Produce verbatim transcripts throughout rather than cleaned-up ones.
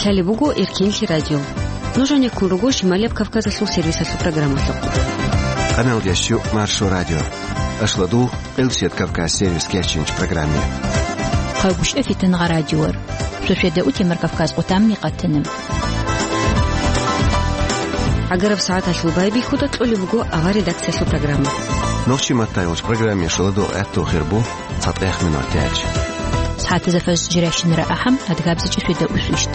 Гьале буго Эркенлъи радио. Нуж гьанеккун руго Шималияб Кавказалъул сервисалъул программалъухъ. Къамел ящу Маршо радио. Ашладул Къилсият Кавказ сервис кечинч программе. Хъагушев Фитнагъа радиор. Шошеда утемар Кавказ къутамни къатанам. Агараб сагӀаталъул байбихьуда кьолеб буго авар редакциялъул программа. Нохчи маттайолч программе шаладу гӀатту хирбу. Цадехъ минут яч. СагӀатазда фажр жирайщинара ахӀам, адгабзичӀи шуйда усвищт.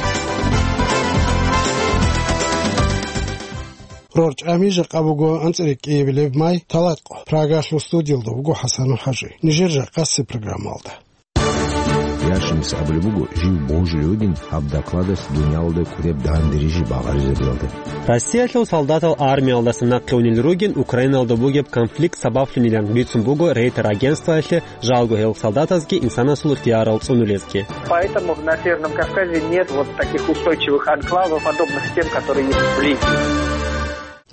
Рорчами жакъа буго анцӀрекӀкӀиябилеб май, талатӀ къо. Прагалъул студиялда буго ХӀасан ХӀажи. Нижер жакъасеб программалда. Яшинас абулеб буго, жив божулев вугин гьаб докладалъ дуниялалда кӀудеб дандерижи багъаризабиялда. Россиялъул солдатал армиялдаса нахъе унел ругин Украиналда бугеб конфликт сабаблъунилан бицун буго Рейтер агентствоялъе, жалго гьел солдатазги инсанасул ихтиярал цӀунулезги. Поэтому на Северном Кавказе нет вот таких устойчивых анклавов, подобных тем, которые есть в Ливии.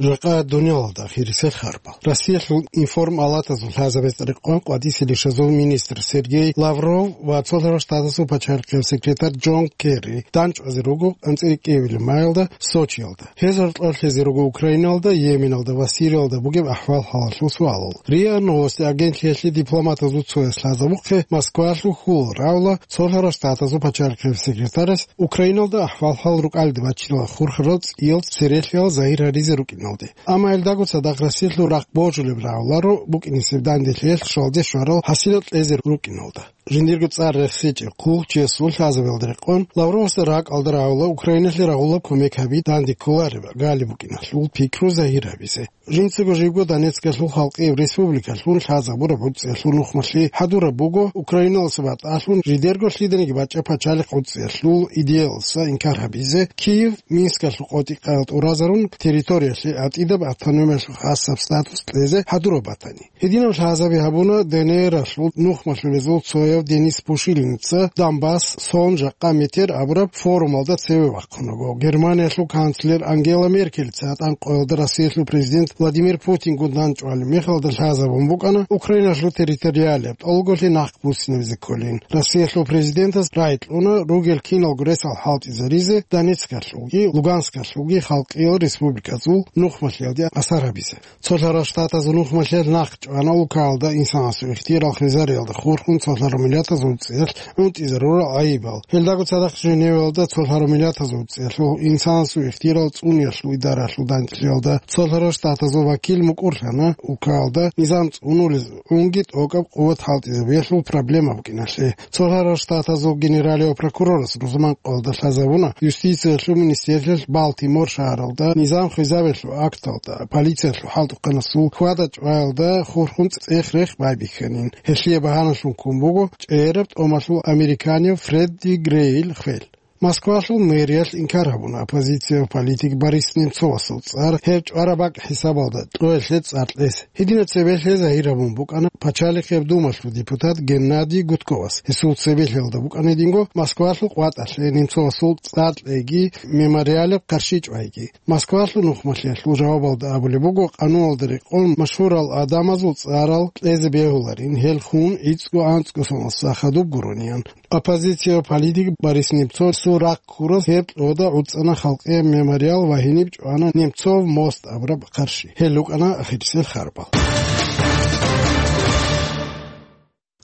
Жакъа дуниялалда хирисел харбал. Россиялъул информалатазул лъазабез рекъон къватӀисел ишазул министр Сергей Лавров ва Цолъарал Штатазул пачалихъияв секретарь Джон Керри данчӀвазе руго анцӀрекӀкӀиябилеб маялда Сочиялда. Гьез гьоркьор лъезе руго Украиналда, Йеменалда ва Сириялда бугеб ахӀвал-хӀалалъул суалал. РИА Новости агентлъиялъе дипломатазул цояс лъазабухъе Москвалъул хьул равла Цолъарал Штатазул пачалихъияв секретарас Украиналда ахӀвал-хӀал рукӀалде баччинал хурхарал цӀиял церехъиял загьир гьаризе рукӀиналде. Амма гьелдаго цадахъ Россиялъул рахъ божулеб равларо букӀинесеб данделъиялъ щвалде щварал хӀасилал кьезе рукӀиналда. Жиндирго цӀар рехсечӀеб хъулухъчиясул лъазабиялда рекъон, Лавровасда ракӀалда равла Украиналъе рагъулаб кумек гьаби данде кколареб гали букӀиналъул пикру загьир гьабизе. Жинцаго живго Донецкалъул халкъияб республикалъун лъазабураб гӀуцӀиялъул нухмалъи хӀадураб буго, Украиналдаса батӀалъун жидерго лъиданиги бачӀа пачалихъ гӀуцӀиялъул идеялдаса инкар гьабизе, Киев Минскалъул къотӀи-къаял тӀуразарун территориялъе гӀатӀидаб автономиялъул хасаб статус кьезе хӀадураб батани. Гьединаб лъазаби гьабуна ДНРалъул нухмалъулезул цояв Денис Пушилинца Донбасс, сон жакъа метер абураб форумалда цеве вахъунаго. Германиялъул канцлер Ангела Меркельица гьатӀан къоялда Россиялъул президент Владимир Путингун данчӀвалеб мехалда лъазабун букӀана Украиналъул территориалияб тӀолголъи нахъ буссинабизе кколин. Россиялъул президентас рагӀи кьуна ругел киналго ресал хӀалтӀизаризе Донецкалъулги Луганскалъулги халкъиял республиказул нухмалъиялде асар гьабизе. Цолъарал Штатазул нухмалъиялъ нахъ чӀвана улкаялда инсанасул ихтиярал хвезариялда хурхун цолъарал миллатазул цӀиялъ унтӀизарурал гӀайибал. Гьелдаго цадахъ Женеваялда цолъарал миллатазул цӀиялъул инсанасул ихтиярал цӀуниялъул идаралъул данделъиялда цолъарал Штатазул вакил мукӀурлъана улкаялда низам цӀунулез унги тӀокӀаб къуват хӀалтӀизабиялъул проблема букӀиналъе. Цолъарал Штатазул генералияв прокурорас рузман къоялда лъазабуна, юстициялъул министерствоялъ Балтимор шагьаралда низам хвезабиялъул акталда, полициялъул хӀалтӀухъанасул хьвада-чӀваялда хурхун цӀех-рех байбихьанин. Гьелъие багьаналъун ккун буго чӀегӀераб тӀомалъул американияв Фредди Грейил хвел. Москвалъул мэриялъ инкар гьабуна оппозицияв политик Борис Немцовасул цӀар гьеб чӀвараб бакӀ хӀисабалда тӀоялъе цӀар кьес. Гьединаб цебе лъе загьир гьабун букӀана Пачалихъияб Думалъул депутат Геннадий Гудковас. Гьесул цебе лъелда букӀана гьединго Москвалъул къватӀалъе Немцовасул цӀар кьейги мемориалаб къарши чӀвайги. Москвалъул нухмалъиялъул жавабалда абулеб буго, къануналда рекъон машгьурал гӀадамазул цӀарал кьезе бегьуларин, гьел хун гӀицӀго-анцӀго соналъ хадуб гурониан. Оппозицияв политик Борис Немцовасул рахъ ккурас гьеб кьода гӀуцӀана халкъияб мемориал ва гьениб чӀвана Немцов мост абураб къарши. Гьел рукӀана ахирисел харбал.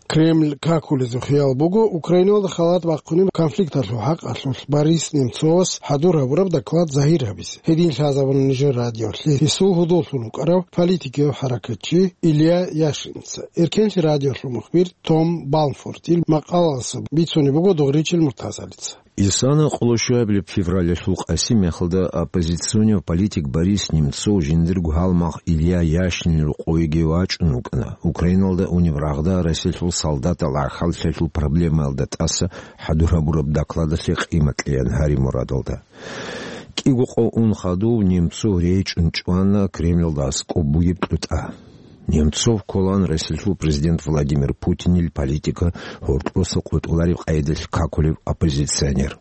Кремль какулезухъ хиял буго Украиналда халат бахъунеб конфликталъул хӀакъалъулъ Борис Немцовас хӀадур гьабураб доклад загьир гьабизе. Гьедин лъазабуна нижер радиолъе гьесул гьудуллъун вукӀарав политикияв хӀаракатчи Илья Яшинца. Эркенлъи радиолъул мухбир Том Балмфортил макъалалъа бицунеб буго Дугъричил Муртазалица. Исана къолошуабилеб февралалъул къаси мехалда оппозиционияв политик Борис Немцов жиндирго гьалмагъ Илья Яшинил рокъовеги вачӀун вукӀана, Украиналда унеб рагъда Россиялъул солдатал гӀахьаллъиялъул проблемаялда тӀаса хӀадур гьабураб докладалъе къимат кьеян гьари мурадалда. КӀиго къо ун хадув Немцов речӀун чӀвана Кремльалда аскӀоб бугеб кьутӀа. Немцов кколаан Россиялъул президент Владимир Путинил политика гьоркьоса къотӀулареб къайдалъ какулев оппозиционер.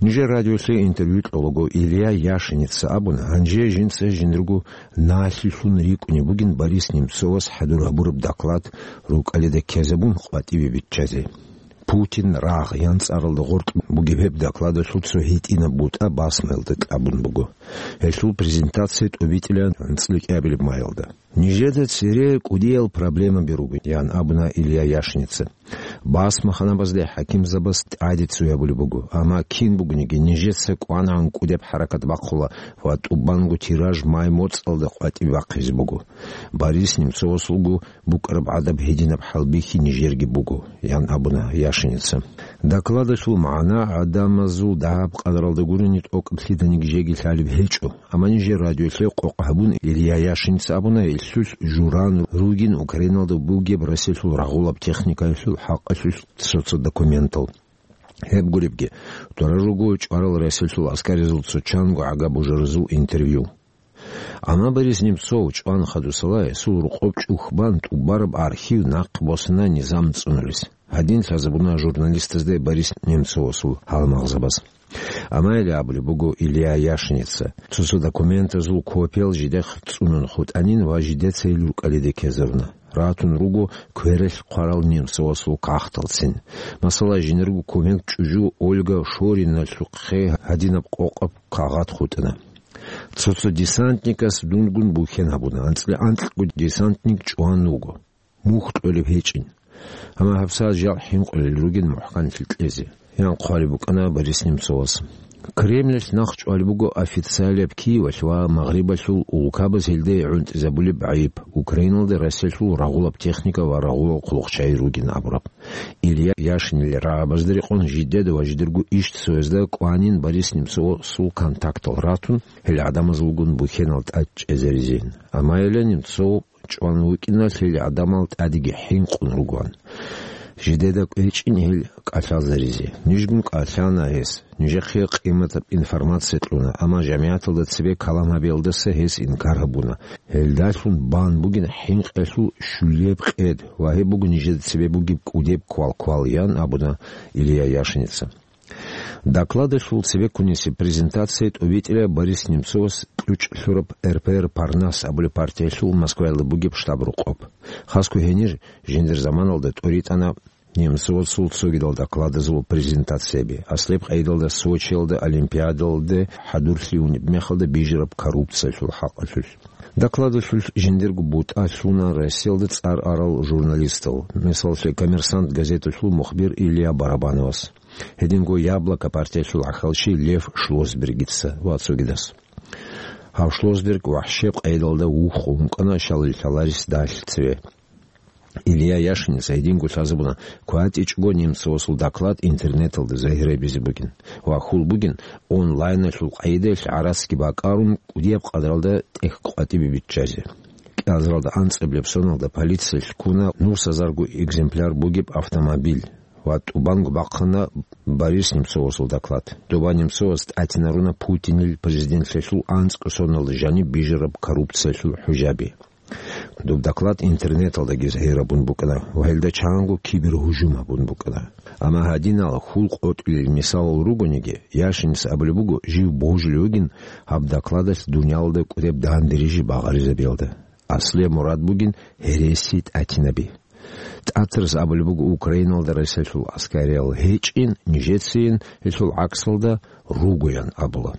Нижер радиолъе интервью кьолаго Илья Яшиница абуна, гьанже жинца жиндирго налъилъун рикӀкӀунеб бугин Борис Немцовас хӀадур гьабураб доклад рукӀалида ккезабун къватӀибе биччазе. «Путин рагъ» ян цӀаралда гъоркь бугеб гьеб докладалъул цо гьитӀинаб бутӀа басмаялда кьабун буго. Гьелъул презентация тӀобитӀилан анцӀила кӀиабилеб майалда. «Нижеда цере кӀудиял проблемаби руго», — ян абуна Илья Яшница. «Басмаханабазде хӀакимзабаз тӀаде цо гьабулеб буго, амма кин бугониги нижеца кӀванагӀан кӀудеб хӀаракат бахъула ва тӀубанго тираж май моцӀалда къватӀибе бахъизе буго. Борис Немцовасулго букӀараб гӀадаб гьединаб хӀалбихьи нижерги буго», — ян абуна Яшница. Докладалъул магӀна гӀадамазул дагьаб къадаралда гурони тӀокӀаб лъиданиги жеги лъалеб гьечӀо. Амма нижер радиолъе къокъ гьабун, Илья Яшинца абуна, гьелъулъ журан ругин Украиналда бугеб Россиялъул рагъулаб техникаялъул хӀакъалъулъ цо-цо документал. Гьеб гуребги, дора руго чӀварал Россиялъул аскаризул цо чанго гӀага бужаразул интервью. Амма Борис Немцов чӀван хадусала гьесул рокъоб чӀухь бан тӀубараб архив нахъ босана низам цӀунулес. Гьадин лъазабуна журналистазда Борис Немцовасул гьалмагъзабаз. Амма гьеле абулеб буго Илья Яшница, цо-цо документазул копиял жидехъ цӀунун хутӀанин ва жидеца гьел рукӀалиде ккезаруна. Ратун руго квералъ хъварал Немцовасул кагъталцин. Масала, жинерго кумек чӀужу Ольга Шориналъухъе гьадинаб къокъаб кагъат хутӀана. Цо-цо десантникас дунгун бухьен гьабуна, анцӀила анкьго десантник чӀван вуго. Мухь кьолеб гьечӀин. Амма гьабсагӀат жал хӀинкъулел ругин мухӀканлъи кьезе, ян хъвалеб букӀана Борис Немцовас. Кремльалъ нахъ чӀвалеб буго официалияб Киевалъ ва Магърибалъул улкабаз гьелде гӀунтӀизабулеб гӀайиб, Украиналда Россиялъул рагъулаб техника ва рагъулал хъулухъчагӀи ругин абураб. Илья Яшинил рагӀабазда рекъон жидеда ва жидерго ишцоязда кӀванин Борис Немцовасул контактал ратун, гьел гӀадамазулгун бухьенал тӀад чӀезаризейин. Амма гьеле Немцов чӀван вукӀиналъ гьел гӀадамал тӀадеги хӀинкъун ругоан. Жидеда кӀвечӀин гьел кӀалъалзаризе. Нижгун кӀалъана гьес. Нижехъе къиматаб информация кьуна, амма жамигӀаталда цебе калам гьабиялдаса гьес инкар гьабуна. Гьелдалъун бан бугин хӀинкъиялъул щулеб къед ва гьеб буго нижеда цебе бугеб кӀудеб квалквал, ян абуна Илья Яшница. Докладалъул цебеккунесеб презентация тӀобитӀила Борис Немцовас кьучӀ лъураб РПР «Парнас» абулеб партиялъул Москваялда бугеб штаб-рокъоб. Хасго гьенир жиндир заманалда тӀоритӀана Немцовасул цогидал докладазул презентацияби, аслеб къайдалда Сочиялда Олимпиадалде хӀадурлъи унеб мехалда бижараб коррупциялъул хӀакъалъулъ. Докладалъулъ жиндирго бутӀа лъуна Россиялда цӀар арал журналистал, мисаллъе, «Коммерсант» газеталъул мухбир Илья Барабановас. Гьединго «Яблоко» партиялъул гӀахьалчи Лев Шлосбергица ва цогидас. Гьав Шлосберг вахӀшеб къайдалда вухъун вукӀана щал лъаларес далъ цеве. Илья Яшинца гьединго лъазабуна кватӀичӀого Немцовасул доклад интернеталда загьир гьабизе бугин ва хьул бугин онлайналъул къайдаялъ гӀарацги бакӀарун кӀудияб къадаралда тӀехь къватӀибе биччазе. КӀиазаралда анцӀабилеб соналда полициялъ ккуна нусазарго экземпляр бугеб автомобиль ва тӀубанго бахъана Борис Немцовасул доклад. Доба Немцовас тӀатинаруна Путинил президентлъиялъул анцӀго соналда жаниб бижараб коррупциялъул хӀужаби. Доб доклад интернеталдаги загьир гьабун букӀана ва гьелда чанго кибергьужум гьабун букӀана. Амма гьадинал хьул къотӀулел мисалал ругониги, Яшинис абулеб буго жив божулев вугин гьаб докладалъ дуниялалда кӀудеб дандерижи багъаризабиялда. Аслияб мурад бугин гьереси тӀатинаби. ТӀатарас абулеб буго Украиналда Россиялъул аскариял гьечӀин, нижецайин гьелъул гӀаксалда ругоян абула.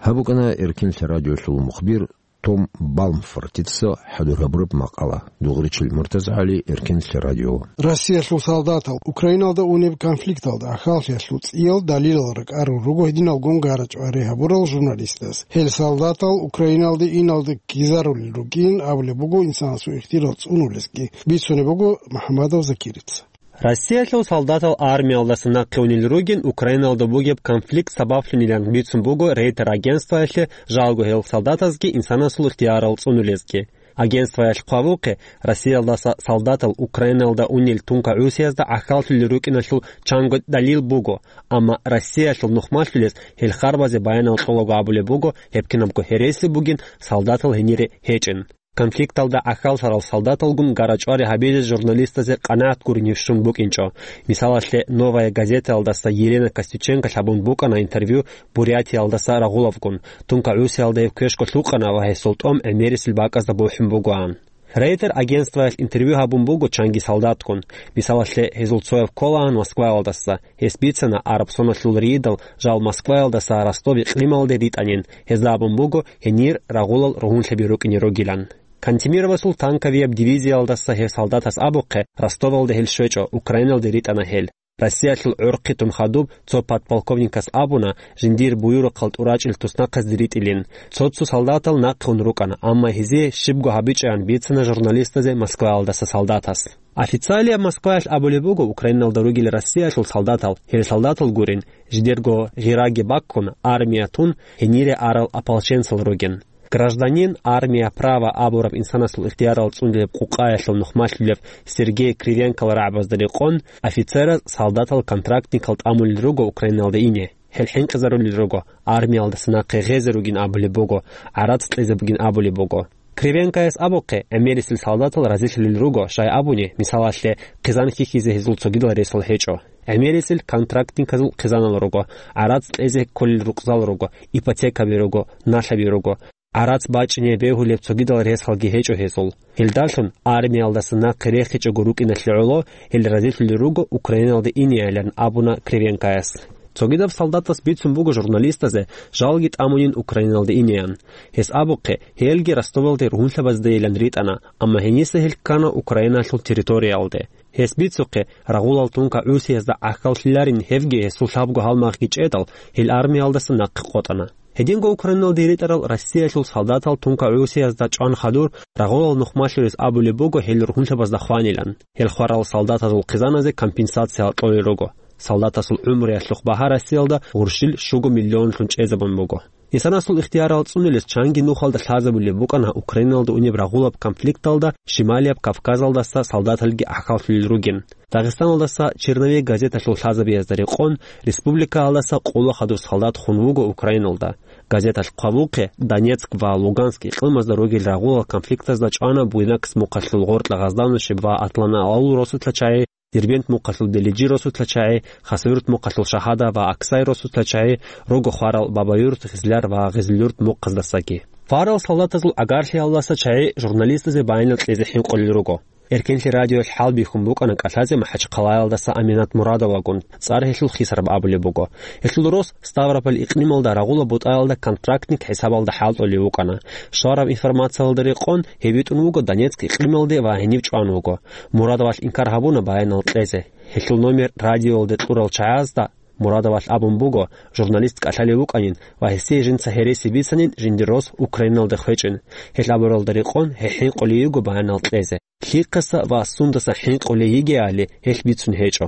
Гьаб букӀана Эркинлъи радиолъул мухбир Том Балмфортица хӀадур гьабураб макъала. Дугъричил МуртазагӀали, Эркинлъи радио. Россиялъул солдатал Украиналда унеб конфликталда ахаллъиялъул цӀиял далилал ракӀарун руго гьединалгун гара-чӀвари гьабурал журналистаз. Гьел солдатал Украиналде иналда ккезарулел ругин абулеб буго инсанасул ихтияр цӀунулесги, бицунеб буго МухӀаммадов Закирица. Россиялъул солдатал армиялдаса нахъе унел ругин Украиналда бугеб конфликт сабаблъунилан бицун буго Рейтер агентствоялъе, жалго гьел солдатазги инсанасул ихтиярал цӀунулезги. Агентствоялъ хъвавухъе, Россиялдаса солдатал Украиналда унел тункагӀусиязда гӀахьаллъулел рукӀиналъул чанго далил буго, амма Россиялъул нухмалъулез гьел харбазе баянал кьолаго абулеб буго, гьеб кинабго гьереси бугин солдатал гьенире гьечӀин. Конфликталда гӀахьаллъарал солдаталгун гара-чӀвари гьабизе журналистазе къанагӀат гурин щун букӀинчӀо. Мисалалъе, «Новая газетаялдаса» Елена Костюченко лъабун букӀана интервью Бурятиялдаса рагъулавгун. ТункагӀусиялда гьев квешго лъукъана ва гьесул тӀом гӀемерисел бакӀазда бухӀун бугоан. Рейтер агентствоялъ интервью гьабун буго чанги солдатгун. Мисалалъе, гьезул цояв кколаан Москваялдаса. Гьес бицана араб соналъул рийидал жал Москваялдаса Ростов икълималде ритӀанин, гьезда абун буго гьенир рагъулал ругьунлъаби рукӀине ругилан. Кантемировасул танковияб дивизиялдаса гьев солдатас абухъе, Ростовалде гьел щвечӀо, Украиналде ритӀана гьел. Россиялъул гӀорхъи тун хадуб цо подполковникас абуна, жиндир буюрухъал тӀурачӀел туснахъазде ритӀилин. Цо-цо солдатал нахъе ун рукӀана, амма гьезие щибго гьабичӀеян бицана журналистазе Москваялдаса солдатас. Официалияб Москваялъ абулеб буго, Украиналда ругел Россиялъул солдатал, гьел солдатал гурин, жидерго гъираги баккун, армия тун, гьенире арал ополченцал ругин. «Гражданин, армия, право» абураб инсанасул ихтиярал цӀунулеб къукъаялъул нухмалъулев Сергей Кривенкол рагӀабазда рекъон, офицераз солдатал-контрактникал тӀамулел руго Украиналда ине. Гьел хӀинкъизарулел руго, армиялдаса нахъе гъезе ругин абулеб буго, гӀарац кьезе бугин абулеб буго. Кривенкояс абухъе, гӀемерисел солдатал разилъулел руго, щай абуни, мисалалъе, хъизан хьихьизе гьезул цогидал ресал гьечӀо. ГӀемерисел контрактниказул хъизанал руго, гӀарац кьезе кколел рукъзал руго, ипотекаби руго, налъаби руго. ГӀарац бачӀине бегьулеб цогидал ресалги гьечӀо гьезул. Гьелдалъун армиялдаса нахъе рехичӀого рукӀиналъе гӀоло, гьел разилъулел руго Украиналде инеялан, абуна Кривенкояс. Цогидаб солдатас бицун буго журналистазе жалги тӀамунин Украиналде инеян. Гьес абухъе, гьелги Ростовалде ругьунлъабаздейилан ритӀана, амма гьениса гьел ккана Украиналъул территориялде. Гьес бицухъе, рагъулал тунка ГӀусиязда гӀахьаллъиларин гьевги гьесул лъабго гьалмагъги чӀедал, гьел армиялдаса нахъе къотӀана. Гьединго Украиналде ритӀарал Россиялъул солдатал тунка ГӀусиязда чӀван хадур, рагъулал нухмалъулес абулеб буго гьел ругьунлъабазда хванилан. Гьел хварал солдатазул хъизаназе компенсация кьолел руго. Солдатасул гӀумруялъухъ багьа Россиялда гъурщил щуго миллионлъун чӀезабун буго. Инсанасул ихтиярал цӀунулес чанги нухалда лъазабулеб букӀана Украиналда унеб рагъулаб конфликталда Шималияб Кавказалдаса солдаталги гӀахьаллъулел ругин. Дагъистаналдаса «Черновик» газеталъул лъазабиязда рекъон, республикаялдаса къоло хадур солдат хун вуго Украиналда. Газеталъ хъвавухъе, Донецк ва Луганск икълимазда ругел рагъулал конфликтазда чӀвана Буйнакск мухъалъул Гъоркьа Гъазданущеб ва Атланал росулъа чагӀи, Дербент мухъалъул Делиджи росулъа чагӀи, Хасавюрт мухъалъул Шагьада ва Аксай росулъа чагӀи, руго хварал Бабаюрт, Гъизляр ва Гъизлюрт мухъаздасаги. Хварал солдатазул гӀагарлъиялдаса чагӀи журналистазе баянал кьезе хӀинкъулел руго. Эркенлъи радиоялъ хӀалбихьун букӀана кӀалъазе МахӀачхъалаялдаса Аминат Мурадовагун, цӀар гьелъул Хисараб абулеб буго. Гьелъул рос Ставрополь икълималда рагъула бутӀаялда контрактник хӀисабалда хӀалтӀулев вукӀана. Щвараб информациялда рекъон, гьеб битӀун вуго Донецк икълималде ва гьенив чӀван вуго. Мурадовалъ инкар гьабуна баянал кьезе. Гьелъул номер радиоялде кьурал чагӀазда Мурадовалъ абун буго, журналист кӀалъалев вукӀанин ва гьесие жинца гьереси бицанин жиндир рос Украиналде хвечӀин. Гьел абуралда рекъон, гьеб хӀинкъулей йиго баянал кьезе. Лъихъаса ва сундаса хӀинкъулей йигеали гьелъ бицун гьечӀо.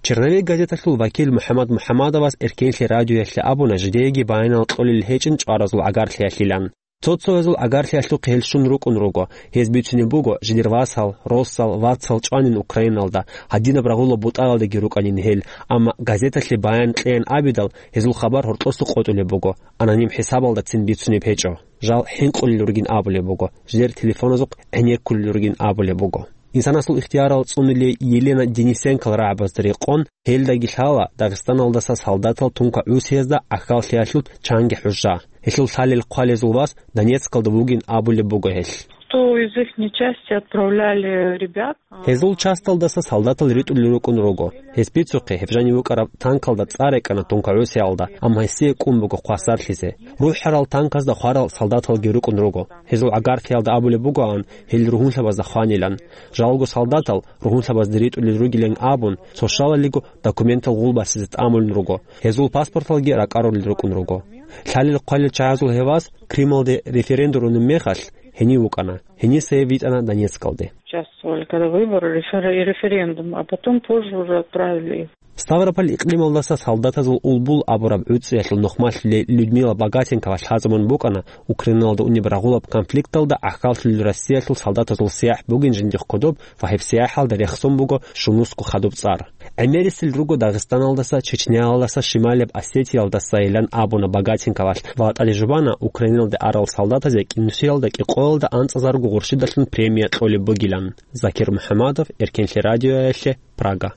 «Черновик» газеталъул вакил МухӀаммад МухӀаммадовас Эркенлъи радиоялъе абуна, жидееги баянал кьолел гьечӀин чӀваразул гӀагарлъиялъилан. Цо-цоязул гӀагарлъиялъухъ гьел щун рукӀун руго. Гьез бицунеб буго, жидер васал, росал, вацал чӀванин Украиналда, гьадинаб рагъула бутӀаялдаги рукӀанин гьел, амма газеталъе баян кьеян абидал, гьезул хабар гьоркьоса къотӀулеб буго, аноним хӀисабалдацин бицунеб гьечӀо. Жал хӀинкъулел ругин абулеб буго, жидер телефоназухъ гӀенеккулел ругин абулеб буго. Инсанасул ихтиярал цӀунулей Елена Денисенкол рагӀабазда рекъон, гьелдаги лъала Дагъистаналдаса солдатал тунка ГӀусиязда гӀахьаллъиялъул чанги хӀужа. Гьелъул лъалел-хъвалезул вас Донецкалда вугин абулеб буго гьелъ. Кто из ихней части отправляли ребят? Гьезул часталдаса солдатал ритӀулел рукӀун руго. Гьес бицухъе, гьеб жанив вукӀараб танкалда цӀар рекӀана тунка ГӀусиялда, амма гьесие кӀун буго хъвасарлъизе. РухӀарал танказда хварал солдаталги рукӀун руго. Гьезул гӀагарлъиялда абулеб бугоан, гьел ругьунлъабазда хванилан. Жалго солдатал ругьунлъабазда ритӀулел ругилан абун, цо щалалиго документал гъулбасизе тӀамулел руго. Гьезул паспорталги ракӀарулел рукӀун руго. Лъалел-хъвалел чагӀазул гьев вас Крымалде референдум рунеб мехалъ гьенив вукӀана. Гьениса гьев витӀана Донецкалде. Участвовали, когда выборы, рефер-, референдум, а потом позже уже отправили их. Ставрополь икълималдаса солдатазул Улбул абураб гӀуцӀиялъул нухмалъулей Людмила Богатенкова лъазабун букӀана Украиналда унеб рагъулаб конфликталда гӀахьаллъулел Россиялъул солдатазул сияхӀ бугин жиндихъ кодоб ва гьеб сияхӀалда рехсон буго щунусго хадуб цӀар. ГӀемерисел руго Дагъистаналдаса, Чечняялдаса, Шималияб Осетиялдасайилан абуна Богатенковалъ ва тӀаде жубана Украиналде арал солдатазе кӀинусиялда кӀикъоялда анцӀазарго гъурщидалъун премия кьолеб бугилан. Закир МухӀамадов, Эркенлъи радиоялъе, Прага.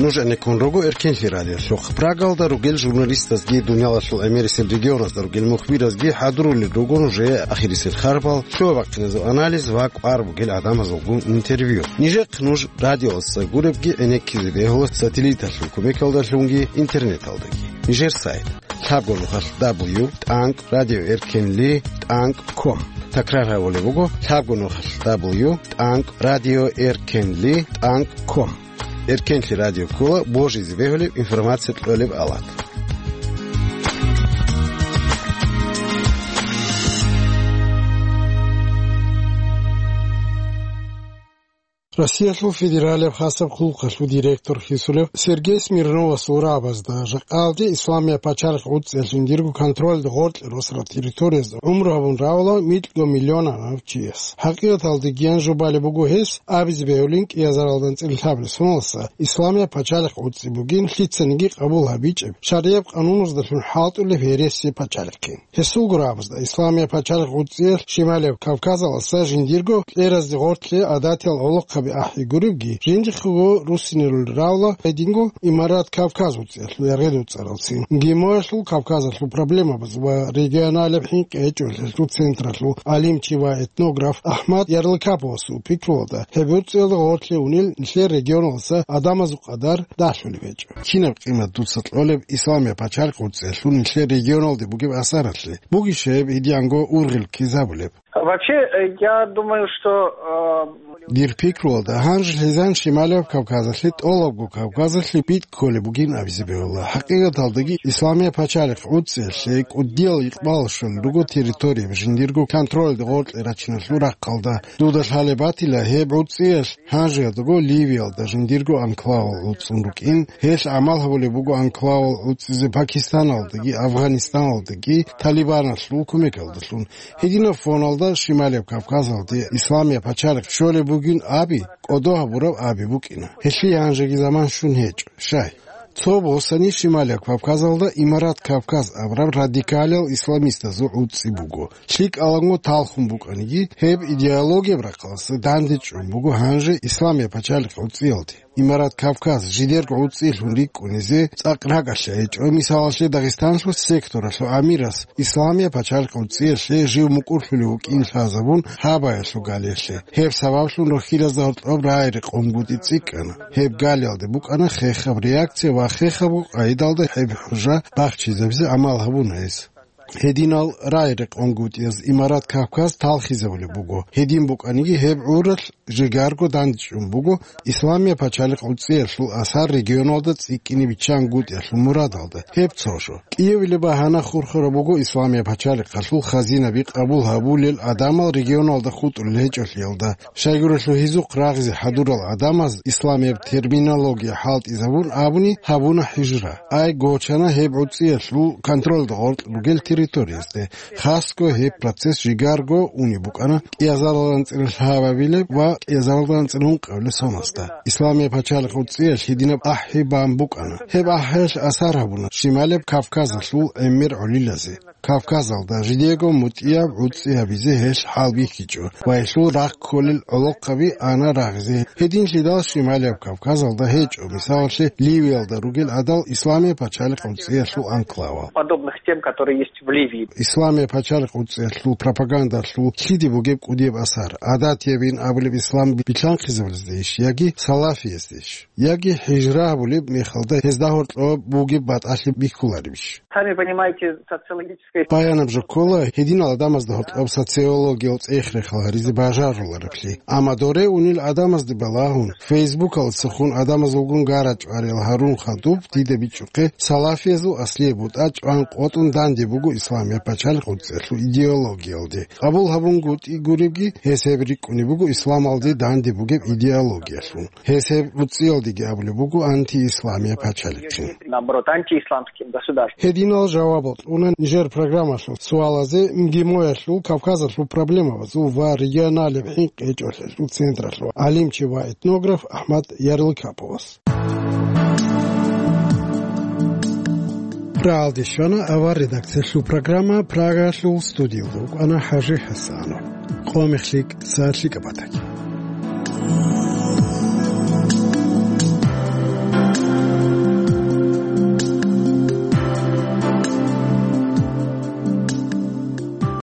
Нуж гӀенеккун руго Эркенлъи радиолъухъ. Прагалда ругел журналистазги, дуниялалъул гӀемерисел регионазда ругел мухбиразги хӀадурулел руго нужее ахирисел харбал, щуаб-бахъиназул анализ ва кӀвар бугел гӀадамазулгун интервью. Нижехъ нуж радиоялдаса гуребги гӀенеккизе бегьула сателлиталъул кумекалдалъунги интернеталдаги. Нижер сайт: лъабго нухалъ дабл ю тӀанкӀ радио эркенли тӀанкӀ ком. Такрар гьабулеб буго: лъабго нухалъ дабл ю тӀанкӀ радио эркенли тӀанкӀ ком. Эркенлъи радио ккола божизе бегьулеб информация кьолеб алат. Россиялъул федералияб хасаб хъулухъалъул директор хисулев Сергей Смирновасул рагӀабазда жакъа гьалде Исламияб пачалихъ гӀуцӀиялъ жиндирго контролда гъоркье росарал территориязда гӀумру гьабун равала микьго миллионанав чияс. ХӀакъикъаталда гиян жо балеб буго гьес, абизе бегьулин кӀиазаралда анцӀила лъабабилеб соналдаса Исламияб пачалихъ гӀуцӀи бугин лъицаниги къабул гьабичӀеб, шаргӀияб къануназдалъун хӀалтӀулеб гьересияб пачалихъин. Гьесулго рагӀабазда Исламияб пачалихъ гӀуцӀиялъ Шималияб Кавказалдаса жиндирго кьеразде гъоркье гӀадатиял гӀолохъаби ахӀи гуребги, жиндихъего руссинарулел равала гьединго Имарат Кавказ гӀуцӀиялъул яргъи дуцӀаралцин. ГМОялъул Кавказалъул проблемабаз ва регионалияб хӀинкъи гьечӀолъиялъул централъул гӀалимчи ва этнограф Ахмад Ярлыкаповасул пикруялда, гьеб гӀуцӀиялда гъоркье унел нилъер регионалдаса гӀадамазул къадар дагьлъулеб гьечӀо. Кинаб къимат дуца кьолеб Исламияб пачалихъ гӀуцӀиялъул нилъер регионалде бугеб асаралъе? Бугищ гьеб гьединго ургъел ккезабулеб? Вообще, э, я думаю, что, э, Дир пикруялда, гьанже лъезан Шималияб Кавказалъе, тӀолабго Кавказалъе битӀ кколеб бугин абизе бегьула. ХӀакъикъаталдаги, Исламияб пачалихъ гӀуцӀиялъе кӀудиял икъбал щолел руго территорияб жиндирго контролда гъоркье рачиналъул рахъалда. Дуда лъалеб батила, гьеб гӀуцӀиялъ гьанжеялдаго Ливиялда жиндирго анклавал гӀуцӀун рукӀин, гьелъ гӀамал гьабулеб буго анклавал гӀуцӀизе Пакистаналдаги Афганистаналдаги Талибаналъул кумекалдалъун. Гьединаб фоналда Шималияб Кавказалде Исламияб пачалихъ щолеб бугин аби, кӀодо гьабураб аби букӀина. Гьелъие гьанжеги заман щун гьечӀо, щай? Цо босани Шималияб Кавказалда Имарат Кавказ абураб радикалиял исламистазул гӀуцӀи буго. ЛъикӀаланго талхун букӀаниги, гьеб идеологияб рахъалдаса дандечӀун буго гьанже Исламияб пачалихъ гӀуцӀиялде. Имарат Кавказ жидерго гӀуцӀиялъун рикӀкӀунизе цӀакъ рагӀалъи гьечӀо, мисалалъе, Дагъистаналъул секторалъул амирас Исламияб пачалихъ гӀуцӀиялъе жив мукӀурлъулев вукӀин лъазабун гьабаялъул галиялъе. Гьеб сабаблъун рохьилазда гьоркьоб рагӀи-рекъонгутӀи цӀикӀкӀана. Гьеб галиялде букӀана хехаб реакция ва хехабго къайдалда гьеб хӀужа бахчизабизе гӀамал гьабуна гьес. Гьединал рагӀи-рекъонгутӀияз Имарат Кавказ талхизабулеб буго. Гьедин букӀаниги, гьеб гӀуралъ жигарго дандчӀун буго Исламияб пачалихъ гӀуцӀиялъул асар регионалда цӀикӀкӀине биччангутӀиялъул мурадалда. Гьеб цо жо. КӀиявилеб багьана хурхараб буго Исламияб пачалихъалъул хазинаби къабул гьабулел гӀадамал регионалда хутӀулел гьечӀолъиялда. Щайгурелъул гьезухъ рагъизе хӀадурал гӀадамаз исламияб терминология хӀалтӀизабун абуни гьабуна хӀижра. Ай гочана гьеб гӀуцӀиялъул контролда гъоркь ругел территориязде. Хасго гьеб процесс жигарго унеб букӀана кӀиазаралда анцӀила лъабабилеб ва кӀиазаралда анцӀила ункъабилеб соналдаса. Исламияб пачалихъ гӀуцӀиялъ гьединаб ахӀи бан букӀана. Гьеб ахӀиялъ асар гьабуна Шималияб Кавказалъул гӀемер гӀолилазе. Кавказалда жидего мутӀигӀаб гӀуцӀи гьабизе гьелъ хӀалбихьичӀо ва гьелъул рахъ кколел гӀолохъаби ана рагъизе. Гьединлъидал Шималияб Кавказалда гьечӀо, мисалалъе, Ливиялда ругел гӀадал Исламияб пачалихъ гӀуцӀиялъул анклавал. Подобных тем, которые есть в Ливии. Исламияб пачалихъ гӀуцӀиялъул пропагандалъул лъиде бугеб кӀудияб асар? ГӀадатиябин абулеб ислам билълъанхъизабилездейищ яги салафияздейищ? Яги хӀижра гьабулеб мехалда гьезда гьоркьоб бугеб батӀалъи бихьуларебищ? Сами понимаете, социологическая... Баянаб жо ккола, гьединал гӀадамазда гьоркьоб социологиял цӀех-рехал гьаризе бажарулареблъи. Амма доре унел гӀадамазде балагьун, Фейсбукалдасахун гӀадамазулгун гара-чӀвариял гьарун хадуб дида бичӀчӀухъе, салафиязул аслияб бутӀа чӀван къотӀун данде буго Исламияб пачалихъ гӀуцӀиялъул идеологиялде. Къабул гьабунгутӀи гуребги, гьес гьеб рикӀкӀунеб буго исламалде данде бугеб идеологиялъун. Гьес гьеб гӀуцӀиялдеги абулеб буго антиисламия пачалихъин. Наоборот, антиисламским государством. Гьединал жавабал кьуна нижер программалъул суалазе МГИМО-ялъул Кавказалъул проблемабазул ва регионалияб хӀинкъи гьечӀолъиялъул централъул гӀалимчи ва этнограф Ахмад Ярлыкаповас. Рагьалде щвана авар редакциялъул программа, Прагалъул студиялда вукӀана ХӀажи ХӀасанов. Къо мехлъи, са лъикӀаб батаги.